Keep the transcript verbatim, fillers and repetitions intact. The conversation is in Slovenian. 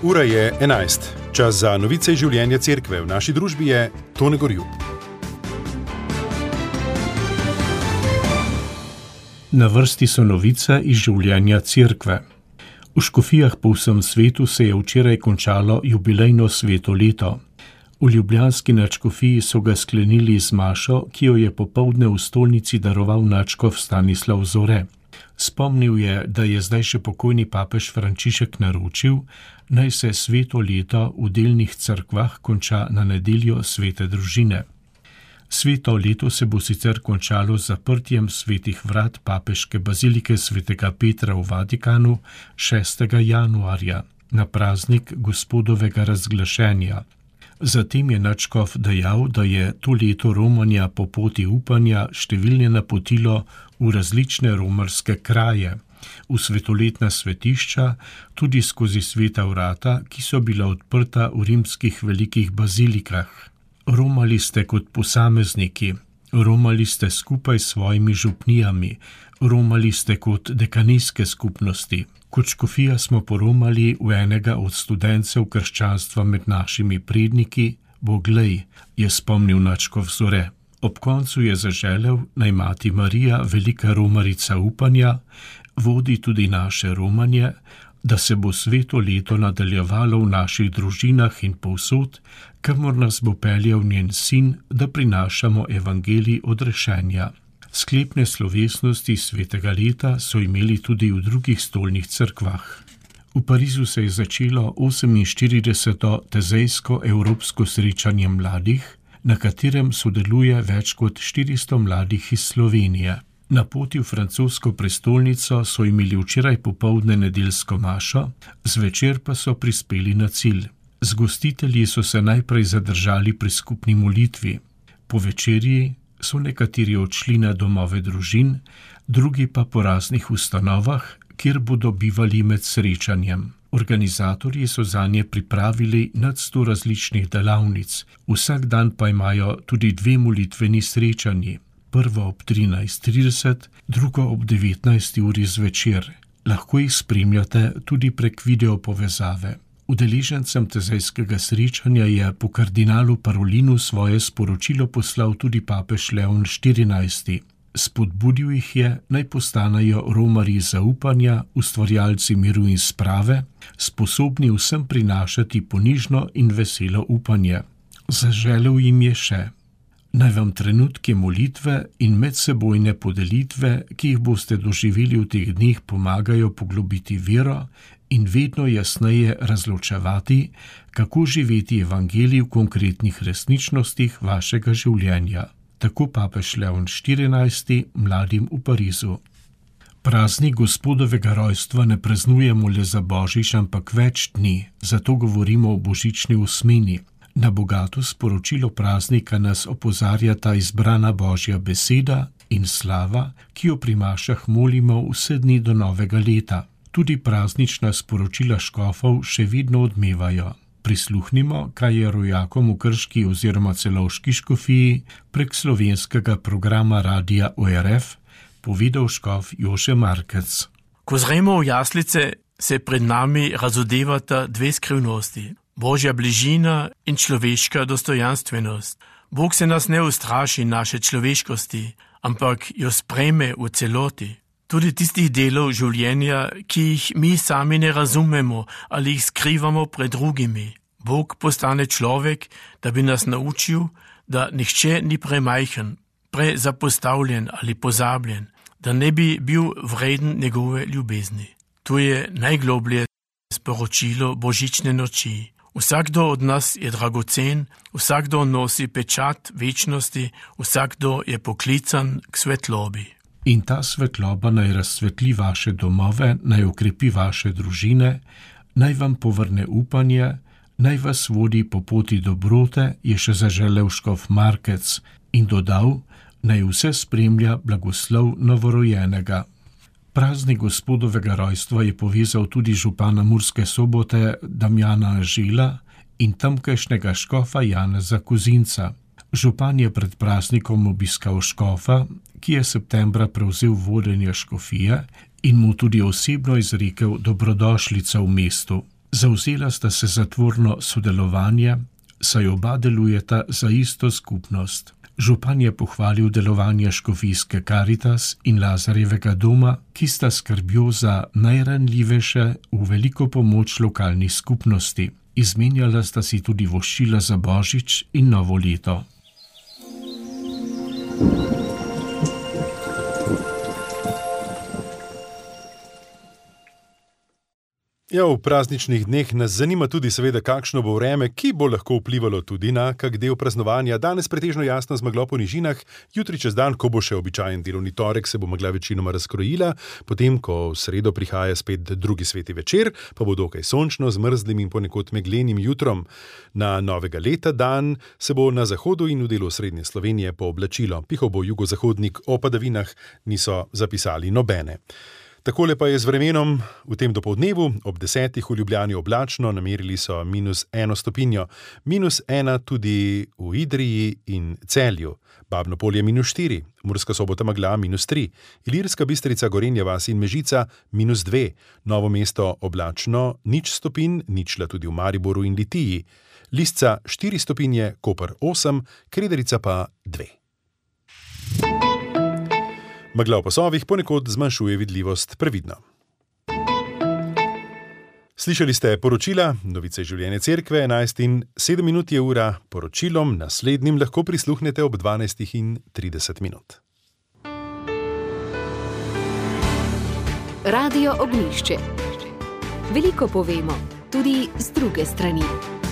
Ura je enajst. Čas za novice iz življenja cerkve. V naši družbi je Tone Gorjup. Na vrsti so novice iz življenja cerkve. V škofijah po vsem svetu se je včeraj končalo jubilejno sveto leto. V ljubljanski nadškofiji so ga sklenili z mašo, ki jo je popoldne v stolnici daroval nadškof Stanislav Zore. Spomnil je, da je zdaj še pokojni papež Frančišek naročil, naj se sveto leto v delnih cerkvah konča na nedeljo svete družine. Sveto leto se bo sicer končalo z zaprtjem svetih vrat papeške bazilike svetega Petra v Vatikanu šestega januarja na praznik Gospodovega razglašenja. Zatem je nadškof dejal, da je to leto romanja po poti upanja številne napotilo v različne romarske kraje, v svetoletna svetišča, tudi skozi sveta vrata, ki so bila odprta v rimskih velikih bazilikah. Romali ste kot posamezniki, romali ste skupaj s svojimi župnijami, romali ste kot dekanijske skupnosti. Kot škofija smo poromali v enega od studencev krščanstva med našimi predniki, Boglej, je spomnil nadškof Zore. Ob koncu je zaželel, naj mati Marija, velika romarica upanja, vodi tudi naše romanje, da se bo sveto leto nadaljevalo v naših družinah in povsod, kamor nas bo peljal njen sin, da prinašamo evangelij odrešenja. Sklepne slovesnosti svetega leta so imeli tudi v drugih stolnih cerkvah. V Parizu se je začelo oseminštirideseto tezejsko evropsko srečanje mladih, na katerem sodeluje več kot štiristo mladih iz Slovenije. Na poti v francosko prestolnico so imeli včeraj popoldne nedeljsko mašo, zvečer pa so prispeli na cilj. Z gostitelji so se najprej zadržali pri skupni molitvi. Po večerji so nekateri odšli na domove družin, drugi pa po raznih ustanovah, kjer bodo bivali med srečanjem. Organizatorji so zanje pripravili nad sto različnih delavnic, vsak dan pa imajo tudi dve molitveni srečanji, prvo ob trinajst trideset, drugo ob devetnajsti uri zvečer. Lahko jih spremljate tudi prek video povezave. Udeležencem tezejskega srečanja je po kardinalu Parolinu svoje sporočilo poslal tudi papež Leon štirinajsti. Spodbudil jih je, naj postanejo romarji zaupanja, ustvarjalci miru in sprave, sposobni vsem prinašati ponižno in veselo upanje. Zaželel jim je še: naj vam trenutke molitve in medsebojne podelitve, ki jih boste doživeli v teh dneh, pomagajo poglobiti vero in vedno jasneje razločevati, kako živeti evangelij v konkretnih resničnostih vašega življenja. Tako papež Leon štirinajsti mladim v Parizu. Praznik Gospodovega rojstva ne praznujemo le za Božič, ampak več dni, zato govorimo o božični osmini. Na bogato sporočilo praznika nas opozarja ta izbrana Božja beseda in slava, ki jo pri mašah molimo vse dni do novega leta. Tudi praznična sporočila škofov še vedno odmevajo. Prisluhnimo, kaj je rojakom v Krški oziroma Celovški škofiji prek slovenskega programa Radia O R F povedal škof Jože Markec. Ko zremo v jaslice, se pred nami razodevata dve skrivnosti. Božja bližina in človeška dostojanstvenost. Bog se nas ne ustraši naše človeškosti, ampak jo sprejme v celoti. Tudi tistih delov življenja, ki jih mi sami ne razumemo ali jih skrivamo pred drugimi. Bog postane človek, da bi nas naučil, da nihče ni premajhen, prezapostavljen ali pozabljen, da ne bi bil vreden njegove ljubezni. To je najgloblje sporočilo božične noči. Vsakdo od nas je dragocen, vsakdo nosi pečat večnosti, vsakdo je poklican k svetlobi. In ta svetloba naj razsvetli vaše domove, naj okrepi vaše družine, naj vam povrne upanje, naj vas vodi po poti dobrote, je še zaželel škof Markec in dodal, naj vse spremlja blagoslov novorojenega. Praznik Gospodovega rojstva je povezal tudi župana Murske Sobote Damjana Anžela in tamkajšnjega škofa Janeza Kozinca. Župan je pred praznikom obiskal škofa, ki je septembra prevzel vodenje škofije in mu tudi osebno izrekel dobrodošlico v mestu. Zavzela sta se za tvorno sodelovanje, saj oba delujeta za isto skupnost. Župan je pohvalil delovanje škofijske Karitas in Lazarjevega doma, ki sta skrbjo za najranljivejše v veliko pomoč lokalni skupnosti. Izmenjala sta si tudi voščila za Božič in novo leto. Ja, v prazničnih dneh nas zanima tudi seveda, kakšno bo vreme, ki bo lahko vplivalo tudi na kak del praznovanja. Danes pretežno jasno z meglo po nižinah, jutri čez dan, ko bo še običajen delovni torek, se bo megla večinoma razkrojila, potem, ko v sredo prihaja spet drugi sveti večer, pa bo dokaj sončno, z mrzlim in ponekod meglenim jutrom. Na novega leta dan se bo na zahodu in v delu srednje Slovenije pooblačilo. Pihal bo jugozahodnik, o padavinah niso zapisali nobene. Takole pa je z vremenom v tem dopoldnevu, ob desetih v Ljubljani oblačno, namerili so minus eno stopinjo, minus ena tudi v Idriji in Celju, Babno Polje minus štiri, Murska Sobota megla minus tri, Ilirska Bistrica, Gorenja vas in Mežica minus dve, Novo mesto oblačno, nič stopinj, ničla tudi v Mariboru in Litiji, Lisca štiri stopinje, Koper osem, Krederica pa dve. Megla v pasovih ponekod zmanjšuje vidljivost, previdno. Slišali ste poročila, novice življenja cerkve, enajst in sedem minut je ura, poročilom naslednjim lahko prisluhnete ob dvanajst in trideset minut. Radio Ognjišče. Veliko povemo, tudi z druge strani.